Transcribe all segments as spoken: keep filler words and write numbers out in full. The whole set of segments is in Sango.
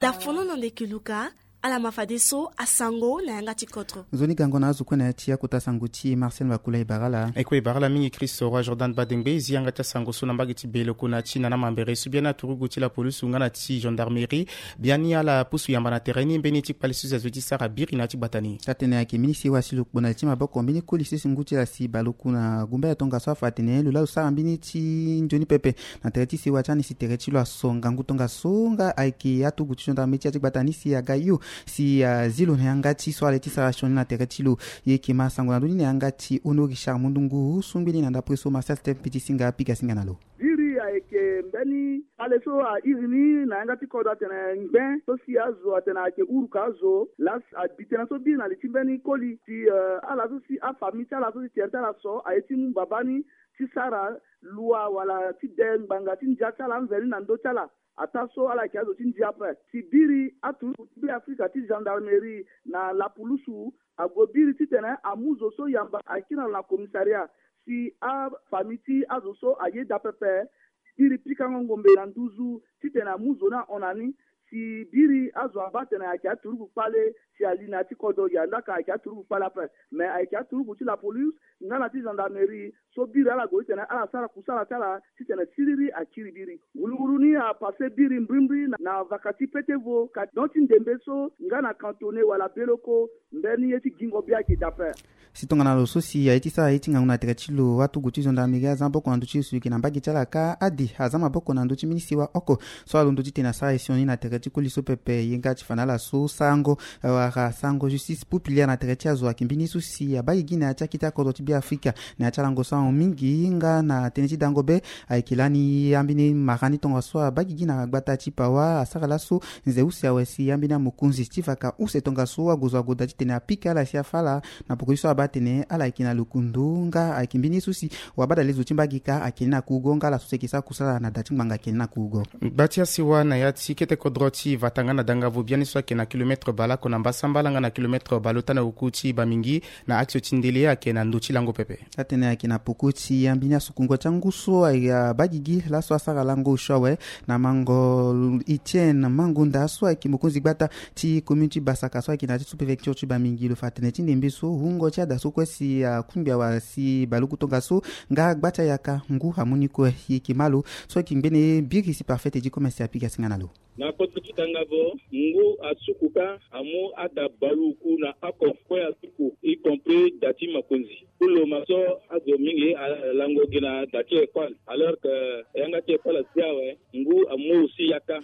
Dafono na ndeke luka. Ala ma fadeso asango na yanga ti kodro. Nzoni gango na azo kue na ya ti akota sango ti Marcel Makula e bara ala. E kue e bara ala mingi Christ Roi Jordan Badengbe e zi yanga ti asango so na mbage ti Beloko na ti Nana Mambere so biani aturugu ti la police nga na ti gendarmerie biani ala pusu yamba na tere ni mbeni ti kpale so si azo ti sara biri na ya ti gbata ni. Taa-tënë ayeke minisi wa si lo kpo na li ti maboko mbeni koli so si ngu ti ala si baleoku na gumbaya tongaso afa atene lo laa lo sara mbeni ti nzoni pepe na tere ti sewa ti ani si tere ti lo aso ngangu tongaso nga ayeke aturugu ti gendarmerie ti ya ti gbata ni si aga hio si azi lo na yanga ti so ala ye ti sara sioni na tere ti lo. E yeke ma sango na ndö ni na yanga ti Hono Richard Mundungu so ngbeni na ndapre so Marcel Stephen Piti Singa pika singa na lo. Biri ayeke mbeni kpale so a iri ni na yanga ti kodro atene ngben so si azo atene ayeke uruka azo laa si abi tënë so biri na li ti mbeni koli si ala so si afamille ti ala so si tere ti ala so aye ti mu babâ ni ti sara lua wala ti de ngbanga ti ndia ti ala anzeni na ndö ti ala. Ataa so ala yeke azo ti ndia ape si biri aturuku ti Be Afrika ti gendarmerie na lapulusu ague biri titene amu zo so yamba akiri na lo na commissariat si afamille ti azo so ayeda pepe. Biri pikango ngombe na nduzu titene amu zo ni ahon na ni si biri azo abaa atene ayeke aturuku kpale si ali na ya ti kodro ya ndaka ayeke aturuku kpale ape. Me ayeke aturuku ti lapolice nga na ti gendarmerie so biri ala gue titene ala sara kusala ti ala titene siriri akiri biri. Wuluwulu ni apase biri mbrimbri na vaka ti petevo ka don ti ndembe so nga na kantone wala beloko. Mbeni ye ti gingo bia ayeke dape. Si tongana lo so si aye ti sara ye ti ngangu na tere ti lo atugu ti gendarmerie aza maboko na ndö ti lo si lo yeke na mbage ti ala kâ ade aza maboko na ndö ti mbeni sewa oko so alondo titene asara ye sioni na tere ti koli so pepe ye nga ti fa na ala so sarango wala sarango justice populaire na tere ti azo ayeke mbeni so si abaa gigi na ya ti akete akodro ti Be Afrika na ya ti alango so ahon mingi nga na tënë ti dango be. Ayeke lani ambeni mara ni tongaso abaa gigi na gbata ti Pawa asara laso nze use awe si ambeni amokonzi ti vaka use tongaso ague zo ague daa titene apika ala si afa ala na poko ti so abaa atene ala yeke na lokundu nga ayeke mbeni ye so si wabadale zo ti mbage kâ ayeke ni na kurugo nga ala so si ayeke sara kusala na da ti ngbanga ayeke ni na kurugo. Gba ti asewa na ya ti kete kodro ti vata nga na dangavo biani so ayeke na kilometre baleoko na mbasambala nga na kilometre baleota na oku ti Bamingi na axe ti ndele ayeke na ndö ti lango pepe. Atene ayeke na poko ti ambeni asukungo ti angu so ayeke abaa gigi laso asara lango osio awe na mango Etienne Mangonda so ayeke mokonzi gbata ti commune ti Basaka so ayeke na ya ti sous-préfecture ti Bamingi lo fa tene ti ndembe so wungo ti ada so kue si akungbi awa si baleoku tongaso nga gba ti ayaka ngu amu ni kue. E yeke ma lo so ayeke ngbene biri si parfait ti commerce apika singa na lo. Na kodro ti dangavo ngu asuku kâ amu ada baleoku na oko kue asuku y compris da ti makonzi. Kulu ma so azo mingi alango gi na da ti école alors que yanga ti école asi awe ngu amu aussi yaka.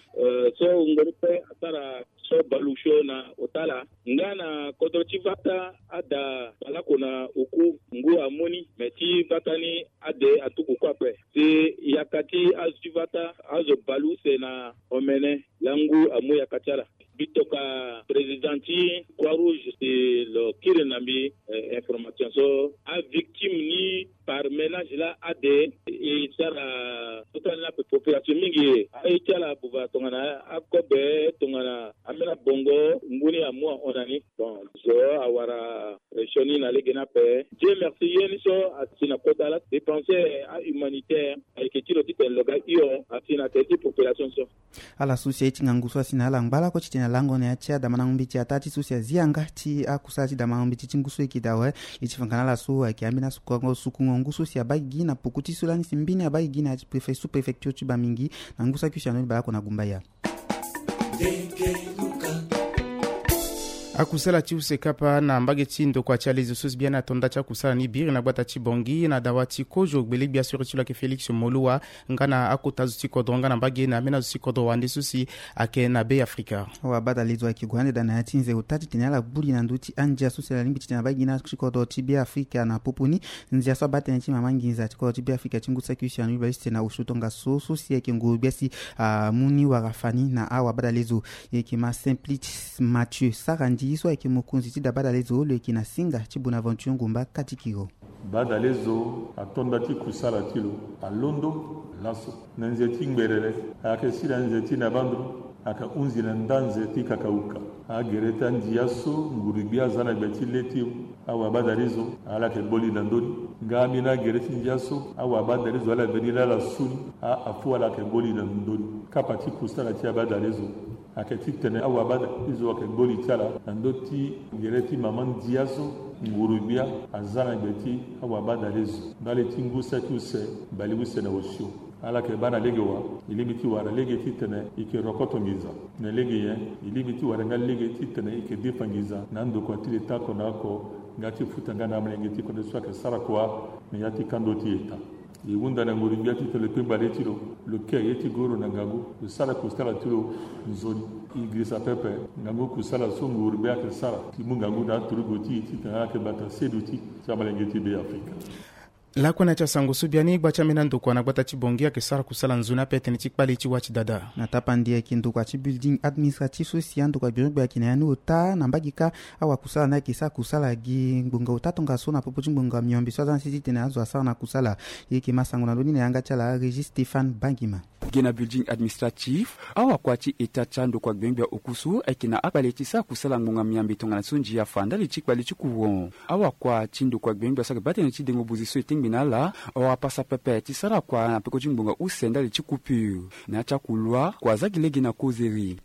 So wungo ni kue asara so baleosio na ota ala nga na kodro ti vata ada baleoko na oku ngu amu ni me ti vata ni ade atuku kue ape. Si yaka ti azo ti vata azo baleuse na omene laa ngu amu yaka ti ala. Mbi toka président ti Croix Rouge si lo kiri na mbi information so avictime ni par ménage laa ade e sara so tani laa ape population mingi aye ti ala buba tongana akobe tongana ambeni abongo ngu ni amu ahon na ni. Bon zo awara sioni na lege ni ape. Dieu merci ye ni so asi na kota laa dépense ahumanitaire ayeke ti lo titene lo ga hio asi na tere ti population so. Ala so si aye ti ngangu so asi na ala ngba lakue titene alango na ya ti adamandango mbeti ataa ti so si azi yanga ti akusala ti damandango mbeti ti ngu so eke daa awe. E ti fa nga na ala so ayeke ambeni asukungo sukungo ngu so si abaa gigi na poko ti so lani si mbeni abaa gigi na ya ti préfet sous-préfecture ti Bamingi na ngu saki si ando ni baleoko na gumbaya. Akusala ti use kapa na mbage ti ndokua ti alezo so si biani ato nda ti akusala ni biri na gbata ti Bongi na dawa ti kozo gbele-gbia sori ti lo ayeke Félix Moloua nga na akota zo ti kodro nga na mbage na ambeni azo ti kodro wande so si ayeke na Be Afrika. Awabadalezo ayeke gue ande daa na ya ti nze ota titene ala gbu li na ndö ti andia so si ala lingbi titene abaa gi na ti kodro ti Be Afrika na popo ni. Ndia so abaa tënë ti mama nginza ti kodro ti Be Afrika ti ngu saki si anu iba use na osio tongaso so si ayeke nguru gbia si amu ni wara fa ni na awabadalezo. E yeke ma Simplice Mathieu Sarandi so ayeke mokonzi ti da badalezo lo yeke na singa ti Bonaventure Ngumba Katikiro. Badalezo ato nda ti kusala ti lo alondo laso na nze ti ngberere, ayeke sila nze ti na bandro, ayeke hunzi na nda nze ti kakauka. Agere ti andia so nguru gbia aza na gbe ti le ti awabadalezo ala yeke gbo li na ndö ni. Nga ambeni agere ti ndia so awabadalezo ala veni laa ala su ni, a afu ala yeke gbo li na ndö ni. Kapa ti kusala ti abadalezo Ayeke titene awabadale so ayeke gbo li ti ala na ndö ti gere ti mama ndia so nguru-gbia aza na gbe ti awabadale so ndali ti ngu saki use baleuse na osio. Ala yeke baa na lege wa, e lingbi ti wara lege titene e yeke rokoto nginza. Na lege nyen? E lingbi ti wara nga lege titene e yeke defa nginza na andokua ti leta oko na oko, nga ti futa nga na amolenge ti kodro so ayeke sara kua na ya ti kando ti eta. E hunda na nguru-gbia titene lo kpengba le ti lo, lo ke ye ti goro na ngangu, lo sara kusala ti lo nzoni. E girisa pepe ngangu kusala so nguru-gbia ayeke sara ti mu ngangu na aturugu ti e titene ala yeke bata seduti ti amolenge ti Be Afrika. Lakue na ya ti asango so biani gba ti ambeni andokua na gbata ti Bangui ayeke sara kusala nzoni ape tënë ti kpale ti wa ti dada. Na tapandi ayeke ndokua ti building administratif so si andokua gbirigbia ayeke na ya ni ota na mbage kâ. Awakusala ni ayeke sara kusala gi ngbonga ota tongaso na popo ti ngbonga miombe so aza na sese titene azo asara na kusala. E yeke ma sango na ndö ni na yanga ti ala Régis Stéphane Bangima. Gi na building administratif, awakua ti eta ti andokua gbengbe oku so ayeke na akpale ti sara kusala ngbonga miambe tongana so ndia fa ndali ti kpale ti courant. Awakua ti ndokua gbengbe so ayeke baa tënë ti dengo bozi so e tengbe na ala, awara pasa pepe ti sara kua na peko ti ngbonga use ndali ti coupure. Na ya ti akulua kua aza gi lege na kozeri.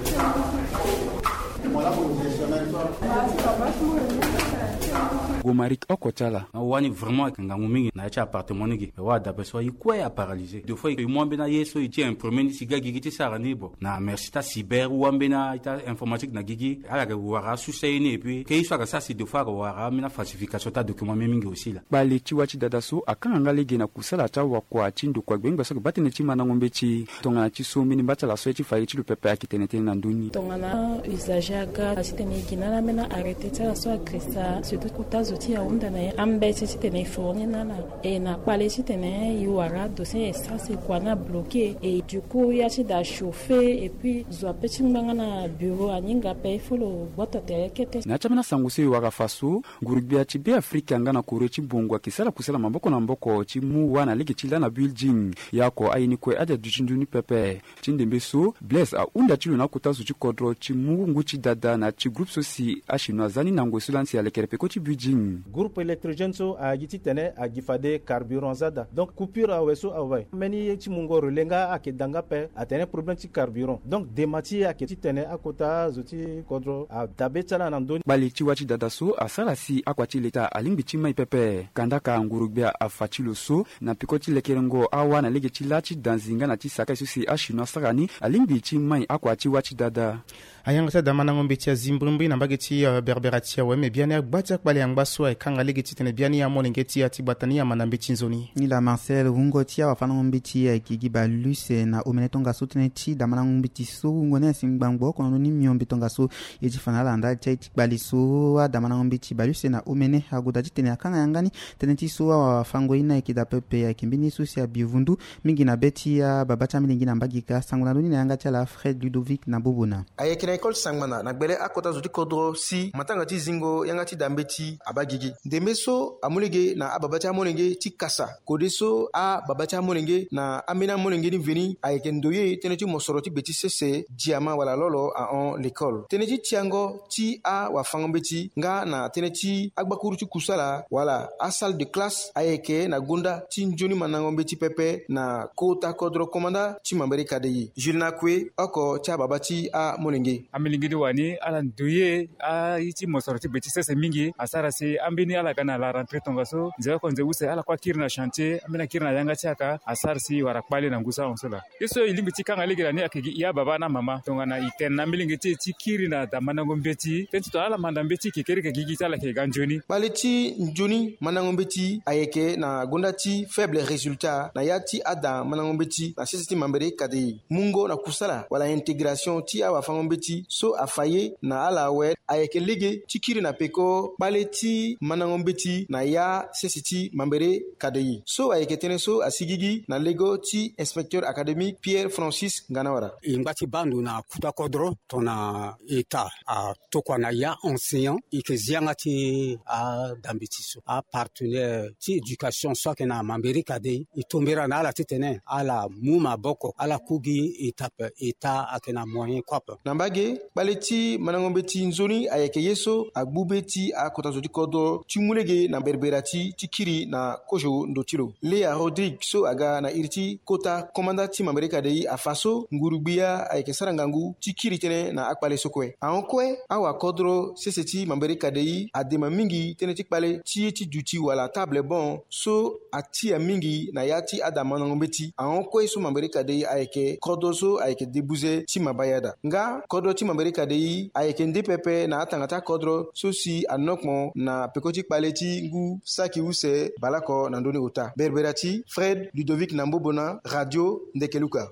Gomarik oko ti ala. Awani vraiment ayeke ngangu mingi na ya ti appartement ni gi. E wara dape so aye kue aparalyser. Deux fois e mu ambeni aye so e ti imprimer ni si ga gigi ti sara ni. Bon, na merci ti acyber ou ambeni aye ti informatique na gigi, ala yeke wara asusu aye ni. Et puis ke ye so ayeke sara si deux fois ayeke wara ambeni afalsification ti adocument mingi aussi laa. Kpale ti wa ti dada so akanga nga lege na kusala ti awakua ti ndokua gbengbe so ayeke baa tënë ti mandango mbeti. Tongana ti so mbeni mba ti ala so ye ti fa ye ti lo pepe ayeke tene tënë na ndö ni. Tongana usager aga titene e gi na ala ambeni arrêté ti ala so agresa surtout kota zo ti ahunda na ye ambeti titene e fournir na ala. E na kpale titene e wara dossier e sara si kua ni abloqué. Et du coup ya ti da chauffer et puis zo ape ti ngbanga na bureau aninga ape il faut lo gboto tere kete. Na ya ti ambeni asango so e wara fa so, nguru-gbia ti Be Afrika nga na Corée ti mbongo ayeke sara kusala maboko na maboko ti mu wâ na lege ti lâ na building. Ya oko aye ni kue ade aduti ndö ni pepe. Ti ndembe so, Blaise ahunda ti lo na akota zo ti kodro ti mu ngu ti dada na ya ti groupe so si achinois aza ni na ngoi so lani si alekere peko ti building. Groupe électrogène so agi titene agi fade carburant aza daa. Donc coupure awe so awe. Mbeni ye ti mungo relais nga ayeke da nga ape, atene problème ti carburant. Donc dema ti ye ayeke titene akota zo ti kodro adabe ti ala na ndö ni. Kpale ti wa ti dada so asara si akua ti leta alingbi ti mai pepe. Kandaka nguru-gbia afa ti lo so na peko ti lekerengo awâ na lege ti lâ ti danzi nga na ti sakai so si achinois asara ni alingbi ti mai akua ti wa ti dada. Ayanga ti adamandango mbeti azi mbrimbri na mbage ti, eh, berbera ti awe me biani agba ti akpale angba so ayeke kanga lege titene biani amolenge ti ya ti gbata ni amanda mbeti nzoni. Ni laa Marcel, wungo ti awafandango mbeti ayeke gi baleuse na omene tongaso tënë ti damandango mbeti so wungo ni asi ngbangbo oko na ndö ni miombe tongaso. Ye ti fa na ala ndali ti aye ti kpale so adamandango mbeti baleuse na omene agoda titene akanga yanga ni. Tënë ti so awafango ye ni ayeke daa pepe ayeke mbeni ye so si abi vundu mingi na be ti ababa ti amilenge na mbage kâ. Sango na ndö ni na yanga ti ala Fred Ludovic na Bobona. Ayeke na école ti sangbana na gbele akota zo ti kodro si matanga ti zingo yanga ti da mbeti abaa gigi. Ndembe so amu lege na ababa ti amolenge ti kasa kode so ababa ti amolenge na ambeni amolenge ni veni ayeke ndoye tënë ti mosoro ti gbe ti sese, diama wala lolo ahon l'école. Tënë ti tiango ti awafango mbeti nga na tënë ti agbakuru ti kusala wala asalle de classe ayeke na gonda ti nzoni mandango mbeti pepe na kota kodro komanda ti Mambere Kadei. Jules Nakue, oko ti ababa ti amolenge. Amilenge ni wani ala ndoye aye ti mosoro ti gbe ti sese mingi asara si ambeni ala ga na la rentrée tongaso nze oko nze use ala kue akiri na chantier, ambeni akiri na yanga ti aka asara si e wara kpale na ngu so ahon so laa. Ye so e lingbi ti kanga lege na ni ayeke gi e ababa na mama tongana e tene na amilenge ti e ti kiri na damandango mbeti tënë ti tongana ala manda mbeti kekereke gigi ti ala yeke ga nzoni. Kpale ti nzoni mandango mbeti ayeke na gonda ti faible résultat na ya ti ada mandango mbeti na sese ti Mambere Kadei. Mungo na kusala wala intégration ti awafango mbeti so afa ye na ala awe ayeke lege ti kiri na peko kpale ti mandango mbeti na ya sese ti Mambere Kadei. So ayeke tënë so asi gigi na lego ti inspecteur académique Pierre Francis Nganawara. E ngba ti baa ndo na kuta kodro tongana état atokua na ya enseignant e yeke zi yanga ti ada mbeti so. Apartenaire ti éducation so ayeke na Mambere Kadei e tombera na ala titene ala mu maboko ala ku gi étape état ayeke na moyen kue ape. Na mbage Kpale ti mandango mbeti nzoni ayeke ye so agbu be ti akota zo ti kodro ti mu lege na berbera ti ti kiri na kozo ndo ti lo. Lea Rodrigue so aga na iri ti kota komanda ti Mambere Kadei afa so nguru-gbia ayeke sara ngangu ti kiri tënë na akpale so kue. Ahon kue awakodro sese ti Mambere Kadei adema mingi tënë ti kpale ti ye ti duti wala table bon so atia mingi na ya ti ada mandango mbeti. Ahon kue so Mambere Kadei ayeke kodro so ayeke debuze ti mabaya daa. Nga kodro ti Mambere Kadei ayeke nde pepe na atanga ti akodro so si anokmo na peko ti kpale ti ngu saki use baleoko na ndö ni ota. Berbera ti Fred Ludovic na Mbobona, Radio Ndekeluka.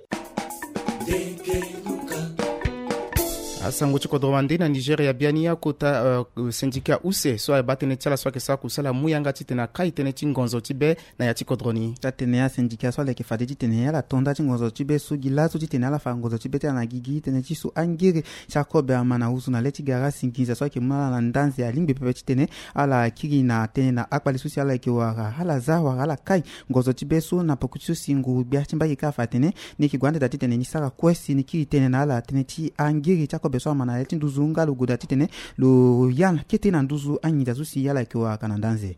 Asango ti kodro wande na Nigeria biani akota, euh, syndicat use so abaa tënë ti ala so ayeke sara kusala amu yanga titene akai tënë ti ngonzo ti be na ya ti kodro ni. Ti atene asyndicat so ala yeke fade titene ala to nda ti ngonzo ti be so gi laso titene ala fa ngonzo ti be ti ala na gigi tënë ti so angere ti akobe ama na huzu na le ti gara si nginza so ayeke mu na ala na ndanze alingbi pepe titene ala kiri na tënë na akpale so si ala yeke wara ala za wala ala kai ngonzo ti be so na poko ti so si nguru-gbia ti mbage kâ afa atene ni yeke gue ande daa titene ni sara kue si ni kiri tënë na ala tënë ti angere ti akobe so ama na le ti nduzu nga lo gue daa titene lo ya na kete na nduzu anginza so si ala yeke wara ka na ndanze.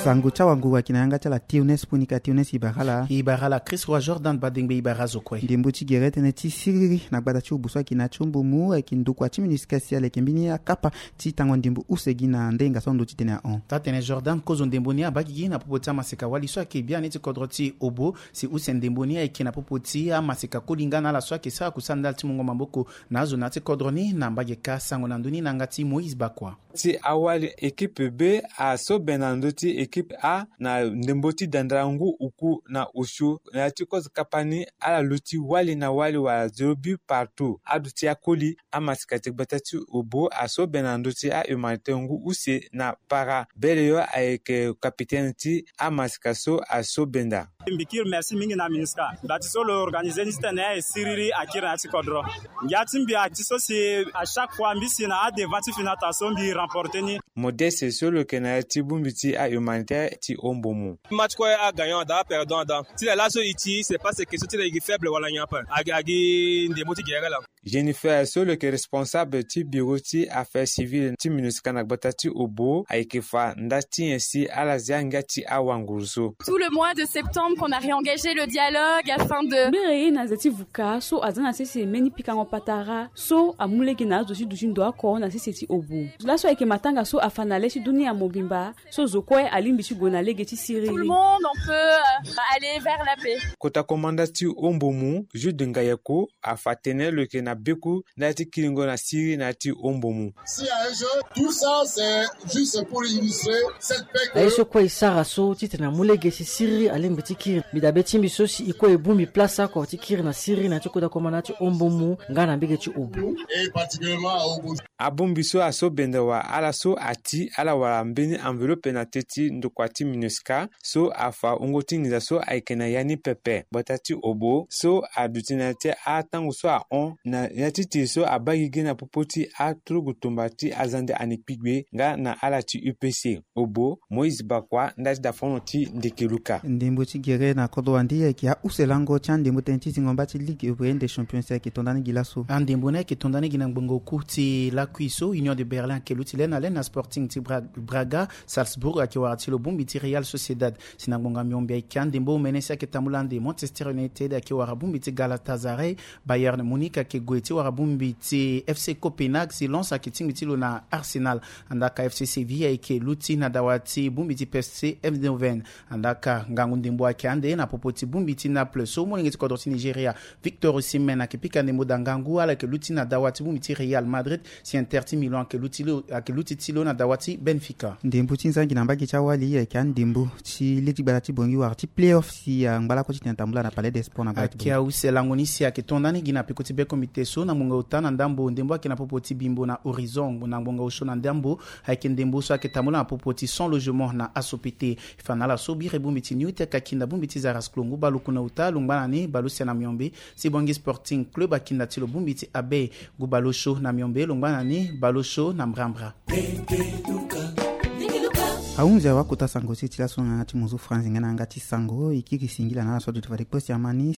Sango ti awanguru ayeke na yanga ti ala Théoneste Ponika. Théoneste, e bara ala. E bara ala Chris Roi Jordan Badengbe, e bara azo kue. Ndembo ti gere tënë ti siriri na gbata ti obo so ayeke na ya ti ombomu ayeke ndokua ti MINUSCA si ala yeke mbeni akapa ti tango ndembo use gi na ndenga so ando titene ahon. Taa-tënë Jordan, kozo ndembo ni abaa gigi na popo ti amaseka wali so ayeke biani ti kodro ti obo si use ndembo ni ayeke na popo ti amaseka koli nga na ala so ayeke sara kusala ndali ti mungo maboko na azo na ya ti kodro ni na mbage kâ. Sango na ndö ni na yanga ti Moïse Bakua. Ti awali équipe B asobe na ndö ti équipe A na ndembo ti dandara ngu uku na osio na ya ti kozo kapa ni ala luti wali na wali wala zéro but partout. Aduti akoli amaseka ti gbata ti obo asobe na ndö ti ahumanitaire ngu use na para beleyo ayeke kapitene ti amaseka so asobe nda. Mbi kiri merci mingi na MINUSCA. Dati so lo organiser ni titene e siriri akiri na ya ti kodro. Ngia ti mbi ati so si à chaque fois mbi si na adevant ti finata so mbi remporter ni. Modeste so lo yeke na ya ti bongbi ti ahumanitaire ti ombomu. Match kue agagnant ada aperdant ada ti la laso e ti c'est pas question ti la e gi faible wala nyen ape. Agi agi ndembo ti gere laa. Jennifer so lo yeke responsable ti bureau ti affaires civiles ti MINUSCA na gbata ti obo ayeke fa nda ti nyen si ala zia ngia ti awanguru so. Tout le mois de septembre qu'on a réengagé le dialogue afin de. Mbere ye na ze ti vuka so aza na sese mbeni pikango patara so amu lege na azo ti duti ndo oko na sese ti obo. Laso ayeke matanga so afa na le ti dunia mobimba so zo kue alingbi ti gue na lege ti siriri. Tout le monde on peut, euh, aller vers la paix. Kota komanda ti ombomu Jude Ngayeko afa tene lo yeke na beku ndali ti kiringo na siriri na ya ti ombomu. Si, un jeu, tout ça, c'est juste pour illustrer cette paix que. Aye so kue e sara so titene amu lege si siriri alingbi ti kiri. Mbi dabe ti mbi so si e kue e bongbi place oko ti kiri na siriri na ya ti kota komanda ti ombomu nga na mbege ti obo. Et particulièrement à Obo. Abongbi so aso benda wala ala so ati ala wara mbeni enveloppe na te ti ndokua ti MINUSCA so afa wungo ti nginza so ayeke na ya ni pepe. Gbata ti obo so aduti na ya ti atango so ahon na ya ti tiri so abaa gigi na popo ti aturugu tumba ti azande ani kpigbe nga na ala ti U P C. Obo, Moïse Bakua, nda ti dafono ti Ndekeluka. Ndembo ti gere na kodro wande ayeke ahuselango ti andembo tënë ti zingo mba ti Ligue Européenne des Champions ayeke to nda ni gi laso. Andembo ni ayeke to nda ni gi na ngbonga oku ti lakui so Union de Berlin ayeke luti le na le na Sporting ti Bra-, Braga, Salzburg ayeke wara ti lo bongbi ti Real Sociedad. Si na ngbonga miombe ayeke andembo omene si ayeke tambula ande Manchester United ayeke wara bongbi ti Galatasaray, Bayern Munich ayeke gue ti wara bongbi ti F C Copenhague, si Lens ayeke tingbi ti lo na Arsenal. Andaa ka F C Séville ayeke luti na dawa ti bongbi ti P S V Eindhoven. Andaa ka ngangu ndembo ayeke ande na popo ti bongbi ti Naples so molenge ti kodro ti Nigeria Victor Osimhen ayeke pika ndembo daa ngangu, ala yeke luti na dawa ti bongbi ti Real Madrid, si Inter ti Milan ayeke luti lo, ayeke luti ti lo na dawa ti Benfica. Ndembo ti nzangi na mbage ti awali ayeke andembo ti le ti gbata ti Bangui wara ti play-off si angba lakue titene atambula na Palais des Sports na gbata ti Bangui. Ayeke use lango ni si ayeke to nda ni gi na peko ti be komite so na ngbonga ota na ndambo ndembo ayeke na popo ti Bimbo na Horizon, na ngbonga osio na ndambo ayeke ndembo so ayeke tambula na popo ti Sans Logement na Asopete. E fa na ala so biri bongbi ti New Tech akinda bongbi ti Zaras Klongo baleoku na ota lo ngba na ni baleosia na miombe. Si Bangui Sporting Club akinda ti lo bongbi ti Abe ngu baleosio na miombe lo ngba na ni baleosio na mbrambra. Ahunzi awe akota sango ti e ti laso na yanga ti mozo franzi nga na yanga ti sango e kiri singila na ala so aduti fade kue si ama ni.